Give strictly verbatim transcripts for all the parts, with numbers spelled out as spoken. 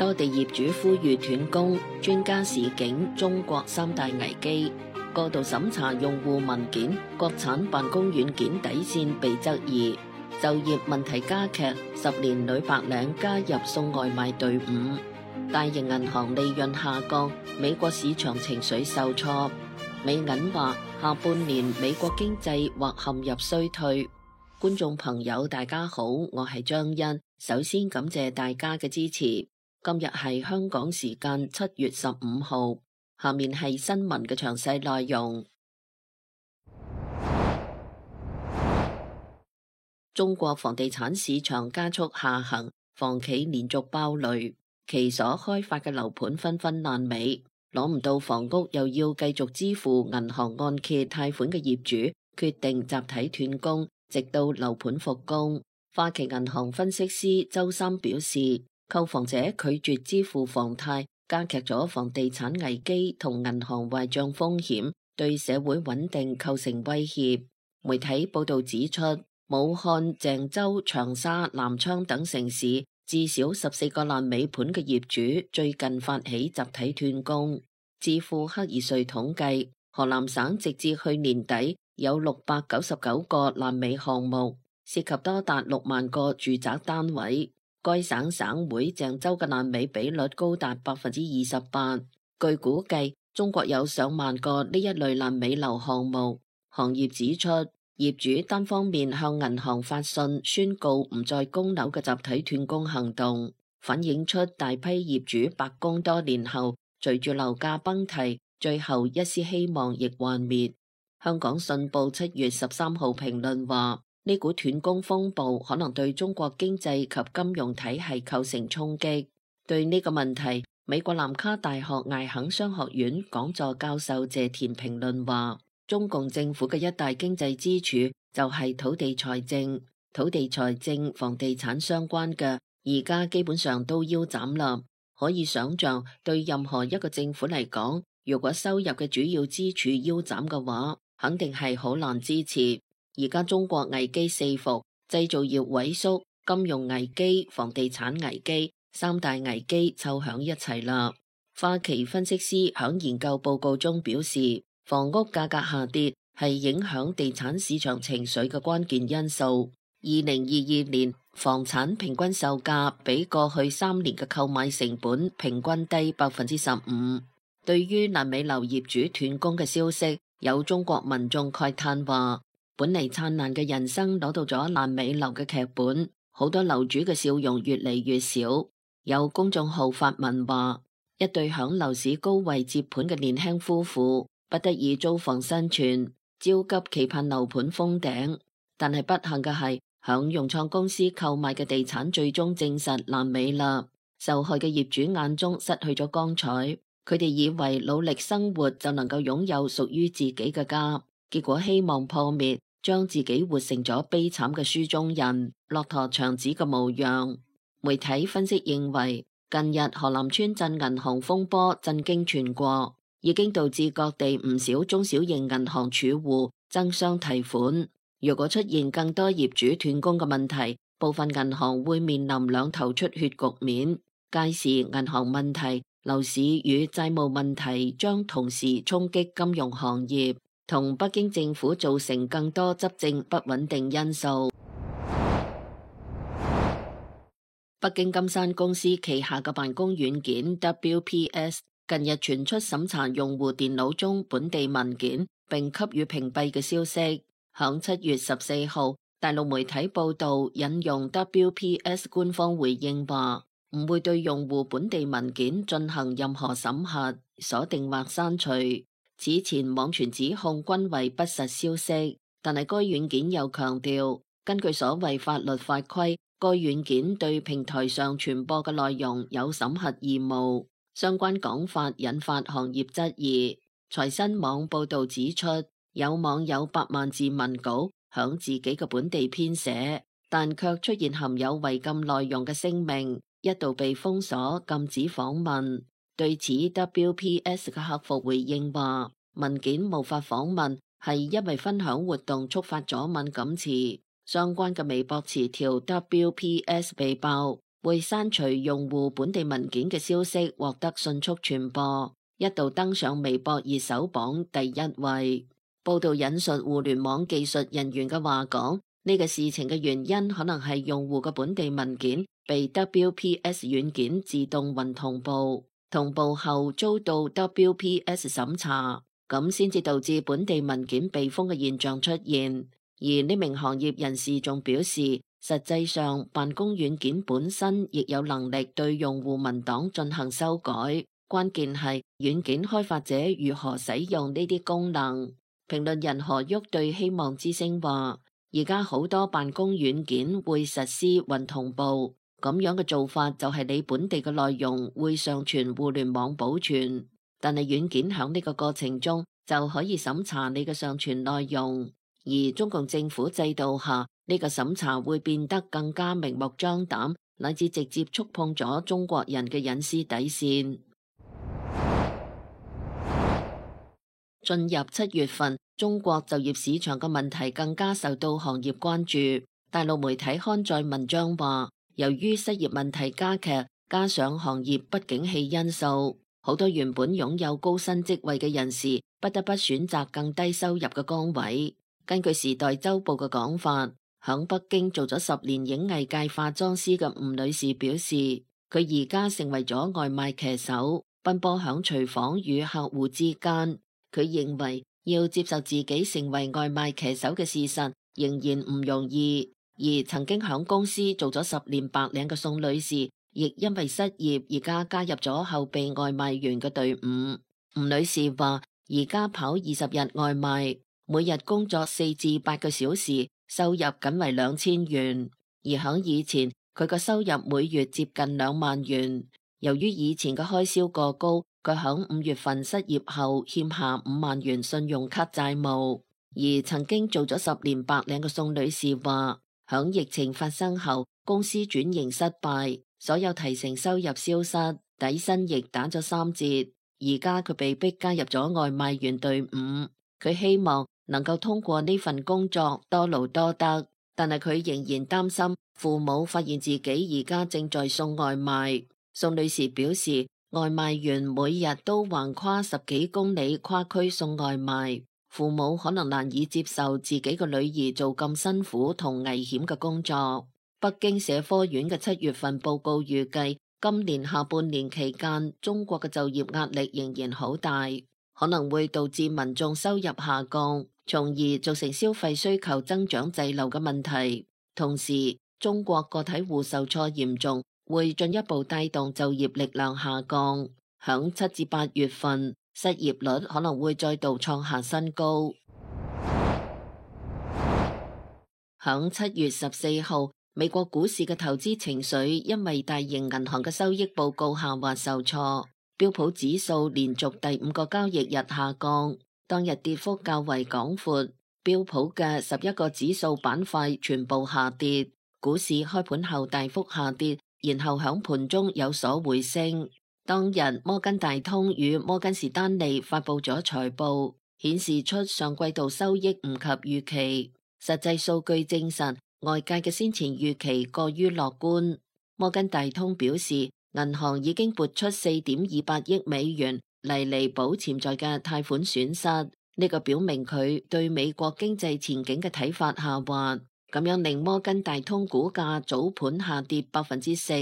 多地業主呼籲斷供，專家示警中國三大危機。過度審查用戶文件，國產辦公軟件底線被質疑。就業問題加劇，十年女白領加入送外賣隊伍。大型銀行利潤下降，美國市場情緒受挫。美銀話下半年美國經濟或陷入衰退。觀眾朋友大家好，我係張欣，首先感謝大家嘅支持。今日係香港時間七月十五號，下面係新聞嘅詳細內容。中國房地產市場加速下行，房企連續爆雷，其所開發嘅樓盤紛紛爛尾，攞唔到房屋又要繼續支付銀行按揭貸款嘅業主決定集體斷供，直到樓盤復工。花旗銀行分析師周三表示，購房者拒絕支付房貸，加劇咗房地產危機同銀行壞賬風險，對社會穩定構成威脅。媒體報道指出，武漢、鄭州、長沙、南昌等城市至少十四個爛尾盤嘅業主最近發起集體斷供。智庫克爾瑞統計，河南省直至去年底有六百九十九個爛尾項目，涉及多達六萬個住宅單位。該省省會鄭州嘅爛尾比率高達百分之二十八。據估計，中國有上萬個呢一類爛尾樓項目。行業指出，業主單方面向銀行發信宣告唔再供樓嘅集體斷供行動，反映出大批業主白供多年後，隨住樓價崩堤，最後一絲希望亦幻滅。香港信報七月十三號評論話，呢股斷供風暴可能對中國經濟及金融體系構成衝擊。對呢個問題，美國南卡大學艾肯商學院講座教授謝田評論話，中共政府嘅一大經濟支柱就係土地財政，土地財政、房地產相關嘅，而家基本上都腰斬啦。可以想象，對任何一個政府嚟講，如果收入嘅主要支柱腰斬嘅話，肯定係好難支持。而家中國危機四伏，製造業萎縮、金融危機、房地產危機，三大危機湊響一齊啦。花旗分析師響研究報告中表示，房屋價格下跌係影響地產市場情緒嘅關鍵因素。二零二二年房產平均售價比過去三年嘅購買成本平均低百分之十五。對於爛尾樓業主斷供嘅消息，有中國民眾慨嘆話，本嚟燦爛嘅人生攞到咗爛尾樓嘅劇本，好多樓主嘅笑容越嚟越少。有公眾號發文話，一對響樓市高位接盤嘅年輕夫婦不得已租房生存，焦急期盼樓盤封頂，但係不幸嘅係響融創公司購買嘅地產最終證實爛尾啦。受害嘅業主眼中失去咗光彩，佢哋以為努力生活就能夠擁有屬於自己嘅家，結果希望破滅，將自己活成咗悲慘嘅書中人，駱駝長子嘅模樣。媒體分析認為，近日河南村鎮銀行風波震驚全國，已經導致各地唔少中小型銀行儲戶爭相提款。如果出現更多業主斷供嘅問題，部分銀行會面臨兩頭出血局面。屆時銀行問題、樓市與債務問題將同時衝擊金融行業，同北京政府造成更多執政不穩定因素。北京金山公司旗下嘅辦公軟件 W P S 近日傳出審查用戶電腦中本地文件並給予屏蔽嘅消息。響七月十四號，大陸媒體報道引用 W P S 官方回應話，唔會對用戶本地文件進行任何審核、鎖定或刪除。此前網傳指控均為不實消息，但係該軟件又強調，根據所謂法律法規，該軟件對平台上傳播嘅內容有審核義務。相關講法引發行業質疑。財新網報道指出，有網友百萬字文稿響自己嘅本地編寫，但卻出現含有違禁內容嘅聲明，一度被封鎖禁止訪問。對此 W P S 嘅客服回應話，文件無法訪問係因為分享活動觸發咗敏感詞，相關嘅微博詞條 W P S 被爆，會刪除用戶本地文件嘅消息獲得迅速傳播，一度登上微博熱搜榜第一位。報道引述互聯網技術人員嘅話講，呢個事情嘅原因可能係用戶嘅本地文件被 W P S 軟件自動雲同步，同步後遭到 W P S 審查，咁先至導致本地文件被封嘅現象出現。而呢名行業人士仲表示，實際上辦公軟件本身亦有能力對用戶文檔進行修改，關鍵係軟件開發者如何使用呢啲功能。評論人何旭對希望之聲話，而家好多辦公軟件會實施雲同步，咁樣嘅做法就係你本地嘅內容會上傳互聯網保存，但係軟件響呢個過程中就可以審查你嘅上傳內容。而中共政府制度下，呢個審查會變得更加明目張膽，乃至直接觸碰咗中國人嘅隱私底線。進入七月份，中國就業市場嘅問題更加受到行業關注。大陸媒體刊載文章話，由於失業問題加劇，加上行業不景氣因素，好多原本擁有高薪職位嘅人士不得不選擇更低收入嘅崗位。根據《時代週報》嘅講法，響北京做咗十年影藝界化妝師嘅吳女士表示，佢而家成為咗外賣騎手，奔波響廚房與客戶之間。佢認為要接受自己成為外賣騎手嘅事實仍然唔容易。而曾經響公司做咗十年白領嘅宋女士，亦因為失業而家加入咗後備外賣員嘅隊伍。吳女士話，而家跑二十日外賣，每日工作四至八個小時，收入僅為兩千元。而響以前，佢個收入每月接近兩萬元。由於以前嘅開銷過高，佢響五月份失業後欠下五萬元信用卡債務。而曾經做咗十年白領嘅宋女士話，響疫情發生後，公司轉型失敗，所有提成收入消失，底薪亦打咗三折。而家佢被逼加入咗外賣員隊伍。佢希望能夠通過呢份工作多勞多得，但係佢仍然擔心父母發現自己而家正在送外賣。宋女士表示，外賣員每日都橫跨十幾公里跨區送外賣，父母可能難以接受自己個女兒做咁辛苦同危險嘅工作。北京社科院嘅七月份報告預計，今年下半年期間，中國嘅就業壓力仍然好大，可能會導致民眾收入下降，從而造成消費需求增長滯留嘅問題。同時，中國個體戶受挫嚴重，會進一步帶動就業力量下降。響七至八月份，失業率可能會再度創下新高。響七月十四號，美國股市嘅投資情緒因為大型銀行嘅收益報告下滑受挫，標普指數連續第五個交易日下降，當日跌幅較為廣闊，標普嘅十一個指數板塊全部下跌，股市開盤後大幅下跌，然後響盤中有所回升。當日摩根大通與摩根士丹利發布咗財報，顯示出上季度收益唔及預期，實際數據證實外界嘅先前預期過於樂觀。摩根大通表示，銀行已經撥出四點二八億美元嚟彌補潛在嘅貸款損失，呢個表明佢對美國經濟前景嘅睇法下滑，咁樣令摩根大通股價早盤下跌百分之四。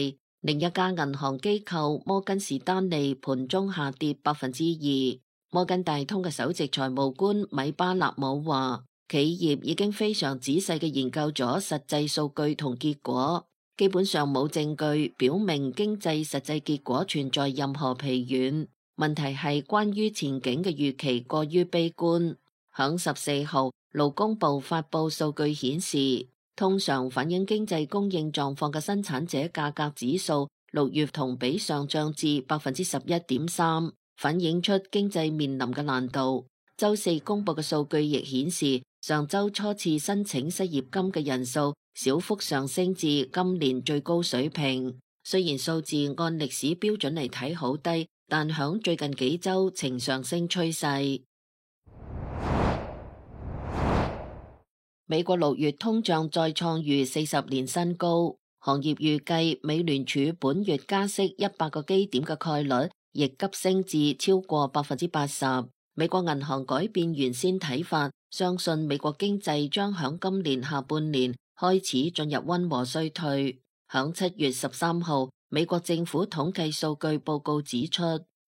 另一家銀行機構摩根士丹利盤中下跌百分之二。摩根大通嘅首席財務官米巴納姆話，企業已經非常仔細嘅研究咗實際數據同結果，基本上冇證據表明經濟實際結果存在任何疲軟。問題係關於前景嘅預期過於悲觀。響十四號，勞工部發佈數據顯示，通常反映經濟供應狀況嘅生產者價格指數六月同比上漲至百分之十一點三，反映出經濟面臨嘅難度。周四公布嘅數據亦顯示，上周初次申請失業金嘅人數小幅上升至今年最高水平。雖然數字按歷史標準嚟睇好低，但響最近幾周呈上升趨勢。美國六月通脹再創逾四十年新高，行業預計美聯儲本月加息一百個基點嘅概率亦急升至超過百分之八十。美國銀行改變原先睇法，相信美國經濟將響今年下半年開始進入溫和衰退。響七月十三號，美國政府統計數據報告指出，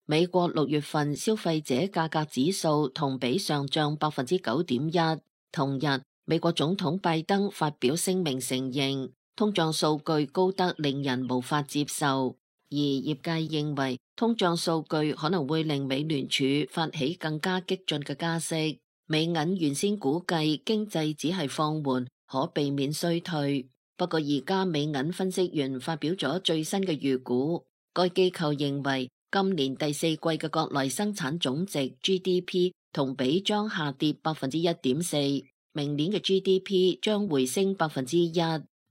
美國六月份消費者價格指數同比上漲百分之九點一。同日，美國總統拜登發表聲明承認，通脹數據高得令人無法接受，而業界認為通脹數據可能會令美聯儲發起更加激進嘅加息。美銀原先估計經濟只係放緩，可避免衰退。不過而家美銀分析員發表咗最新嘅預估，該機構認為今年第四季嘅國內生產總值 G D P 同比將下跌百分之一點四，明年嘅 G D P 將回升百分之一，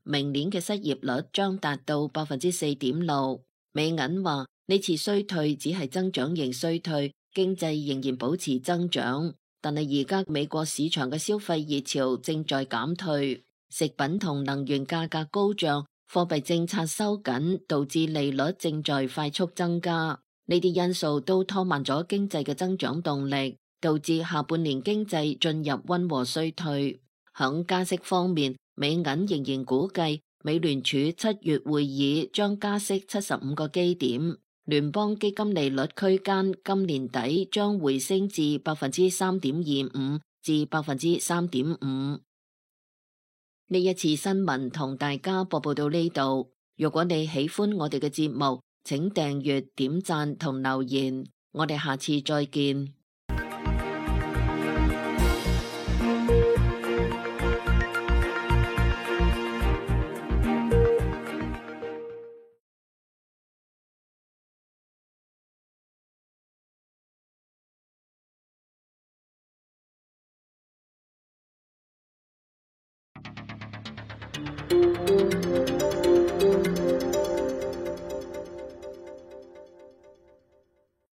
明年嘅失業率將達到百分之四點六。美銀話呢次衰退只係增長型衰退，經濟仍然保持增長，但係而家美國市場嘅消費熱潮正在減退，食品同能源價格高漲，貨幣政策收緊，導致利率正在快速增加。呢啲因素都拖慢咗經濟嘅增長動力，導致下半年經濟進入溫和衰退。響加息方面，美銀仍然估計美聯儲七月會議將加息七十五個基點，聯邦基金利率區間今年底將回升至百分之三點二五至百分之三點五。呢一次新聞同大家播報到呢度。如果你喜歡我哋嘅節目，請訂閱、點讚同留言。我哋下次再見。